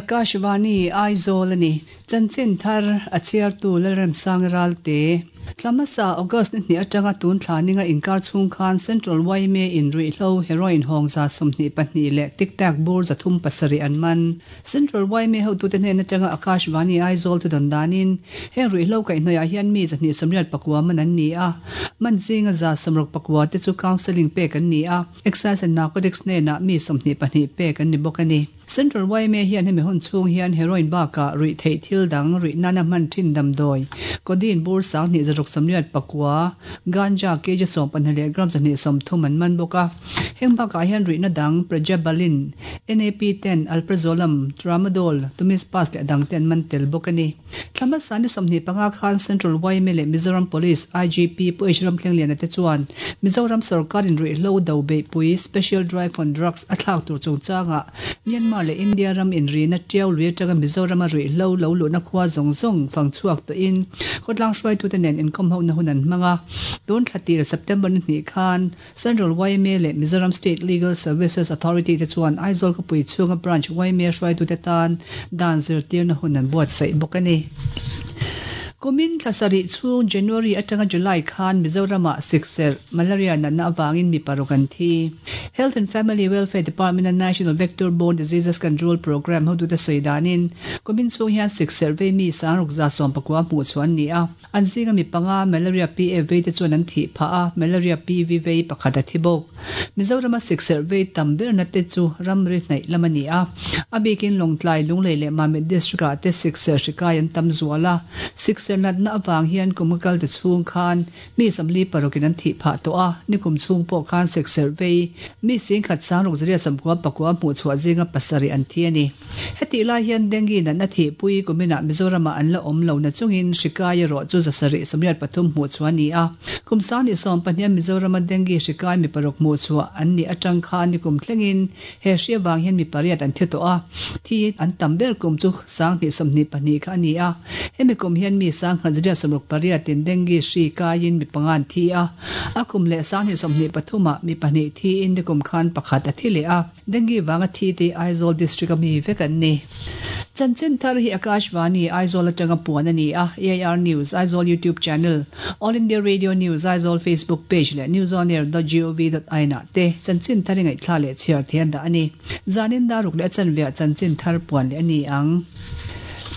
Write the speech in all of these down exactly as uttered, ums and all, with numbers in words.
Akashvani Aizawl ani chanchin thar a chhiartu Lalremsang Ralte Tlamasa August ni hnih atanga tun thla ninga inkar chhung khan Central Y M A in ruihhlo heroin hawng za sawmhnih pahnih leh tic tac bur zathum pasarih an man. Central Y M A hotute hnen atanga Akashvani Aizawl thu dawn danin heng ruihhlo kaihhnawih hian mi zahnih sawmriat pakua man an ni a, man zinga za sawmruk pakua te chu counselling pek an ni a, Excise and Narcotics hnenah mi sawmhnih pahnih pek an ni bawk a ni. Central Y M A hian hemi hun chhung hian heroin bakah ruihtheih thil dang ruih nana hman thin damdawi codeine bur sanghnih zaruk sawmriat pakua, ganja kg sawm pahnih leh gram zahnih sawmthum an man bawk a. Heng bakah hian ruihna dang pregabalin, N A P ten, alprazolam, tramadol, tumispas leh dang te an man tel bawk a ni. Thlamasa ni sawmhnih panga khan Central Y M A leh Mizoram Police I G P Pu H Ramthlengliana te chuan Mizoram sarkarin ruihhlo do beihpui Special Drive on Drugs a thlak tur chungchanga Myanmar leh India ram inrina Tiau lui atanga Mizoram a ruihhlo lo luhna khua zawng zawng fang chhuak tawhin khawtlang hruaitute nen inkhawm ho na hun an hmang a. Tun thla tir September ni hnih khan Central Y M A leh Mizoram State Legal Services Authority te chuan Aizawl khawpui chhunga branch Y M A hruaitute tan dan zirtirna hun an buatsaih bawk a ni. Kumin thlasarih chhung January atanga July khan Mizorama sikserh malaria natna awangin mi paruk an thi. Health and Family Welfare Department and National Vector Borne Diseases Control Program hotute sawi danin kumin chhung hian sikserh vei mi sangruk za sawm pakua hmuh chuan ni a, an zinga mi panga malaria P F vei te chuan an thi pha a, malaria P V vei pakhat a thi bawk. Mizorama sikserh vei tam ber na te chu ramri hnaih lam ani a, a bikin Lawngtlai, Lunglei leh Mamit district ah te sikserh hri kai an tam zual a. Sikserh natna awang hian kum kal te chhung khan mi samli parukin an thi pha to a, nikum chhung pawh khan sikserh vei mi sing khat sangruk zaria sawmkua pakua hmuh chhuah zinga pasarih an thi ani. Heti lai hian dengue natna thi pui kumina Mizorama an la awm lo na chungin hri kai erawh chu zasarih sawmriat pathum hmuh chuan ni a. Kum sanghnih sawm pahnih Mizorama dengue hri kai mi paruk hmuh chhuah an ni atang khan nikum thlengin he hri awang hian mi pariat an thi tawh a. Thi an tam ber kum chu sanghnih sawmhnih pahnih kha ani a, hemi kum hian mi sangkhat zaria sawmruk pariatin dengue hri kaiin mi panga an thi a. A kum leh sanghnih sawmhnih pathuma mi pahnih thi in nikum khan pakhat a thi leh a. Dengue wanga thi te Aizawl district ami vek an ni. Chanchin thar hi Akashvani Aizawl atanga puan ani a. A I R News Aizawl YouTube channel, All India Radio News Aizawl Facebook page leh newsonair dot gov dot in ah te chanchin thar ngai thla leh chhiar thian da ani. Zanin daruk leh chanvia chanchin thar puan le ani ang.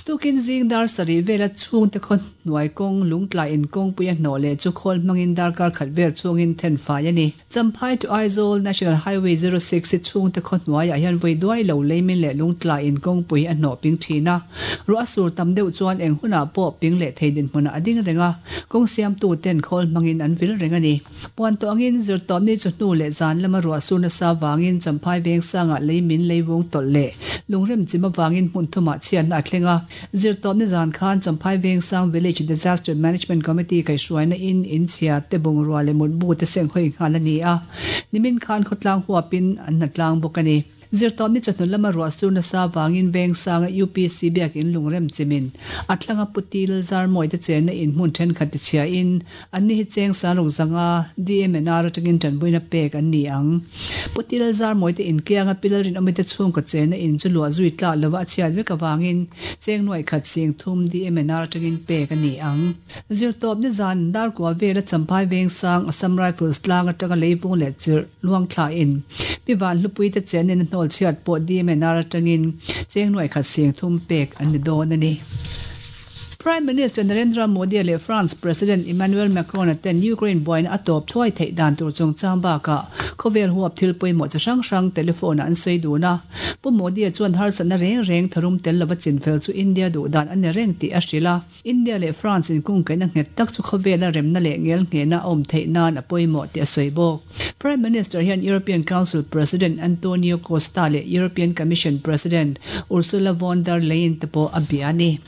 Tukin zing dar sarih vela chhung te khaw hnuai kawng lungtlai in kawng pui a hnawh leh chu khawl hmangin darkar khat vel chhungin then fai ani. Champhai to Aizawl National Highway zero six hi chhung te khaw hnuaiah hian voi duai lo leimin leh lungtlai in kawngpui a hnawh ping thin a. Ruah sur tam deuh chuan eng hunah pawh ping leh thei din hmunah a ding reng a, kawng siamtu ten khawl hmangin an vil reng ani. Puan tawh angin zirtawp ni chu hnu leh zan lama ruah sur nasa wangin Champhai veng sangah leimin leivung tawlh leh lungrem chim awangin hmun thumah chhiatna a thleng a. Zirtawp ni zan khan Champhai veng sang Village Disaster Management Committee kai hruaina in in chhia te bungrua leh mutbu te seng hoi nghal ani a, nimin khan khawtlang huapin an hnatlang bawk ani. Zirtawp ni chawhnu lama ruah sur nasa wangin veng sanga U P C biak in lungrem chimin a thlanga putil zarmawi te chenna in hmun thenkhat ti chhia in an ni hi cheng sangruk zanga D M N R atangin tanpuina pek an ni ang. Putil zarmawi te in kianga pilalrin awmi te chhung ka chenna in chu luah zui tlak lova a chhiat vek awangin cheng nuai khat sing thum D M N R atangin pek ani ang. Zirtawp ni zan dar kwa vela Champhai veng sang Assam Rifles tlang atanga leivung leh chirh luang thla in piwan hlupui te chen in hnawl chhiat pawh D M N R atangin cheng nuai khat sing thum pek an ni dawn ani. Prime Minister Narendra Modi leh France President Emmanuel Macron ten Ukraine buaina a tawp thuai theih dan tur chungchang bakah khawvel huap thil pawimawh chi hrang hrang telephone an sawi dun a. Pu Modi chuan harsatna reng reng tharum tel lova chinfel chu India duh dan ani reng tih a hril a. India leh France in kung kaina nghet tak chu khawvela remna leh ngel nghehna a awm theih nan a pawimawh tih a sawi bawk. Prime Minister hian European Council President Antonio Costa leh European Commission President Ursula von der Leyen te pawh a bia ani.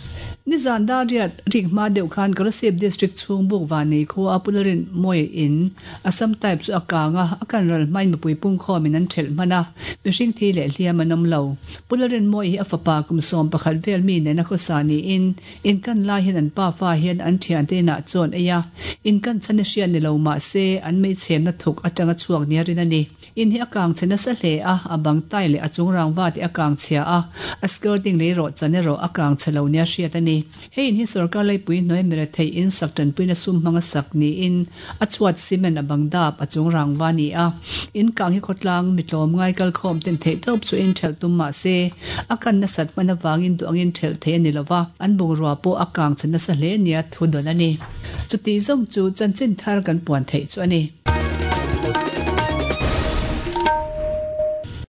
Ni zan dar Dar riat rik hma deuh khan Kolasib District chhung Bukvanei khua a Pu Lalrinmawia in Assam Type chu a kang a, a kan ral hmain mipui pungkhawmin an thelh hman a, mihring thi leh hliam an awm lo. Pu Lalrinmawia hi a fapa kum sawm pakhat vel mi nena khawsa niin in kan lai hian an pafa hian an thiante inah chaw an ei a, in kan chhan hi hriat ni lo mah se an meichhemna thuk atanga chhuak nia rin a ni. In hi a kang chhe nasa hle a, a bang tai leh a chung rangva te a kang chhia a, a skirting lei rawh chan erawh a kang chhe lo nia hriat a ni. Hei in hi sorkar laipui hnuai mirethei in sak tanpuina sum hmanga sak niin a chhuat cement a bang dap a chung rangva a ni a. In kang hi khawtlang mi tlawmngai kalkhawm ten theih tawp chu in thelh tum mah se a kan nasat hman avangin duh angin thelh theih a ni lo va, an bungrua pawh a kang chhe nasa hle nia thu dawn a ni. Chuti zawng chu chanchin thar kan puan theih chu a ni.